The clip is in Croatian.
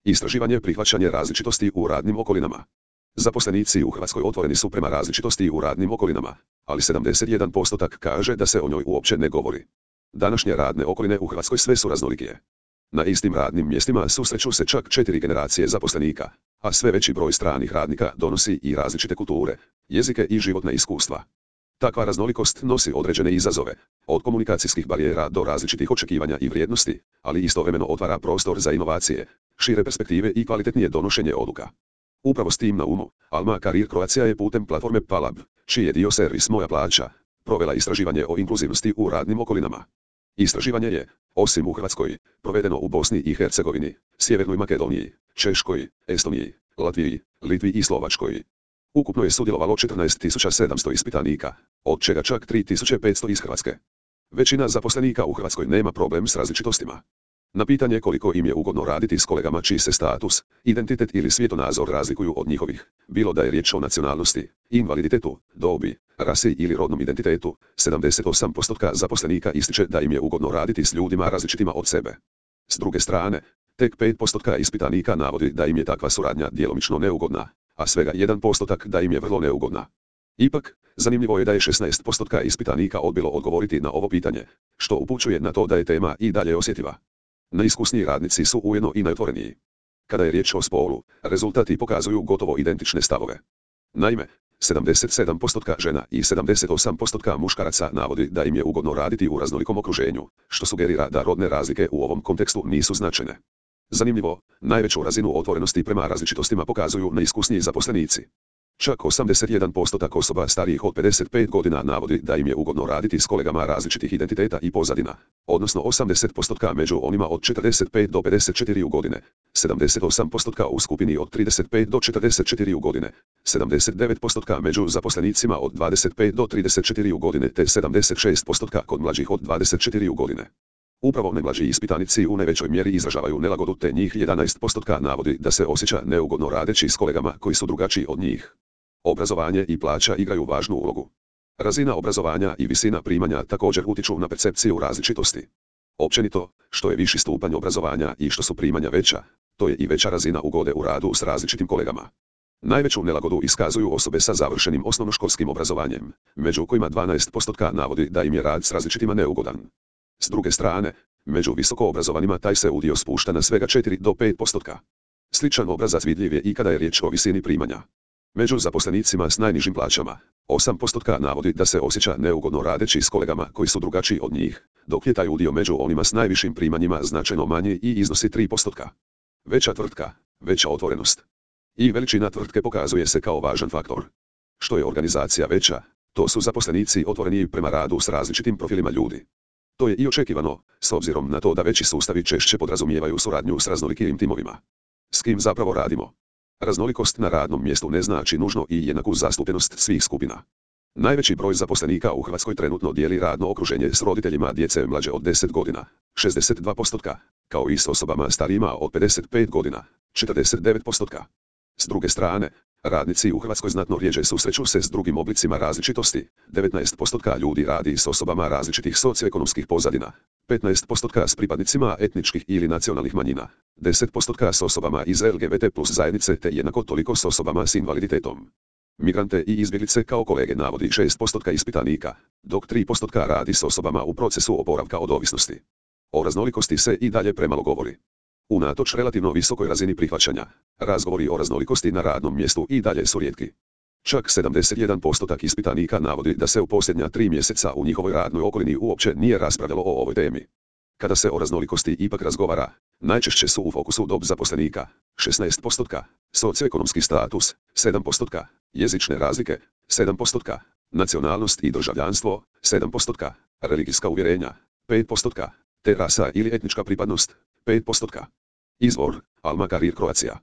Istraživanje prihvaćanje različitosti u radnim okolinama. Zaposlenici u Hrvatskoj otvoreni su prema različitosti u radnim okolinama, ali 71% kaže da se o njoj uopće ne govori. Današnje radne okoline u Hrvatskoj sve su raznolikije. Na istim radnim mjestima susreću se čak 4 generacije zaposlenika, a sve veći broj stranih radnika donosi i različite kulture, jezike i životna iskustva. Takva raznolikost nosi određene izazove, od komunikacijskih barijera do različitih očekivanja i vrijednosti, ali istovremeno otvara prostor za inovacije, šire perspektive i kvalitetnije donošenje odluka. Upravo s tim na umu, Alma Career Croatia je putem platforme Palab, čiji je dio servis Moja plaća, provela istraživanje o inkluzivnosti u radnim okolinama. Istraživanje je, osim u Hrvatskoj, provedeno u Bosni i Hercegovini, Sjevernoj Makedoniji, Češkoj, Estoniji, Latviji, Litvi i Slovačkoj. Ukupno je sudjelovalo 14.700 ispitanika, od čega čak 3.500 iz Hrvatske. Većina zaposlenika u Hrvatskoj nema problem s različitostima. Na pitanje koliko im je ugodno raditi s kolegama čiji se status, identitet ili svjetonazor razlikuju od njihovih, bilo da je riječ o nacionalnosti, invaliditetu, dobi, rasi ili rodnom identitetu, 78% zaposlenika ističe da im je ugodno raditi s ljudima različitima od sebe. S druge strane, tek 5% ispitanika navodi da im je takva suradnja djelomično neugodna, a svega 1% da im je vrlo neugodna. Ipak, zanimljivo je da je 16% ispitanika odbilo odgovoriti na ovo pitanje, što upućuje na to da je tema i dalje osjetljiva. Najiskusniji radnici su ujedno i najotvoreniji. Kada je riječ o spolu, rezultati pokazuju gotovo identične stavove. Naime, 77% žena i 78% muškaraca navodi da im je ugodno raditi u raznolikom okruženju, što sugerira da rodne razlike u ovom kontekstu nisu značajne. Zanimljivo, najveću razinu otvorenosti prema različitostima pokazuju neiskusniji zaposlenici. Čak 81% osoba starijih od 55 godina navodi da im je ugodno raditi s kolegama različitih identiteta i pozadina, odnosno 80% među onima od 45 do 54 godine, 78% u skupini od 35 do 44 godine, 79% među zaposlenicima od 25 do 34 godine te 76% kod mlađih od 24 godine. Upravo najmlađi ispitanici u najvećoj mjeri izražavaju nelagodu te njih 11% navodi da se osjeća neugodno radeći s kolegama koji su drugačiji od njih. Obrazovanje i plaća igraju važnu ulogu. Razina obrazovanja i visina primanja također utiču na percepciju različitosti. Općenito, što je viši stupanj obrazovanja i što su primanja veća, to je i veća razina ugode u radu s različitim kolegama. Najveću nelagodu iskazuju osobe sa završenim osnovnoškolskim obrazovanjem, među kojima 12% navodi da im je rad s različitima neugodan. S druge strane, među visokoobrazovanima taj se udio spušta na svega 4 do 5%. Sličan obrazac vidljiv je i kada je riječ o visini primanja. Među zaposlenicima s najnižim plaćama, 8% navodi da se osjeća neugodno radeći s kolegama koji su drugačiji od njih, dok je taj udio među onima s najvišim primanjima značajno manji i iznosi 3%. Veća tvrtka, veća otvorenost. I veličina tvrtke pokazuje se kao važan faktor. Što je organizacija veća, to su zaposlenici otvoreniji prema radu s različitim profilima ljudi. To je i očekivano, s obzirom na to da veći sustavi češće podrazumijevaju suradnju s raznolikim timovima. S kim zapravo radimo? Raznolikost na radnom mjestu ne znači nužno i jednaku zastupljenost svih skupina. Najveći broj zaposlenika u Hrvatskoj trenutno dijeli radno okruženje s roditeljima djece mlađe od 10 godina, 62%, kao i s osobama starijima od 55 godina, 49%. S druge strane, radnici u Hrvatskoj znatno rjeđe susreću se s drugim oblicima različitosti, 19% ljudi radi s osobama različitih socioekonomskih pozadina, 15% s pripadnicima etničkih ili nacionalnih manjina, 10% s osobama iz LGBT plus zajednice te jednako toliko s osobama s invaliditetom. Migrante i izbjeglice kao kolege navodi 6% ispitanika, dok 3% radi s osobama u procesu oporavka od ovisnosti. O raznolikosti se i dalje premalo govori. Unatoč relativno visokoj razini prihvaćanja, razgovori o raznolikosti na radnom mjestu i dalje su rijetki. Čak 71% ispitanika navodi da se u posljednja 3 mjeseca u njihovoj radnoj okolini uopće nije raspravljalo o ovoj temi. Kada se o raznolikosti ipak razgovara, najčešće su u fokusu dob zaposlenika, 16%, socioekonomski status, 7%, jezične razlike, 7%, nacionalnost i državljanstvo, 7%, religijska uvjerenja, 5%, te rasa ili etnička pripadnost, 5%. Izvor, Alma Career Croatia.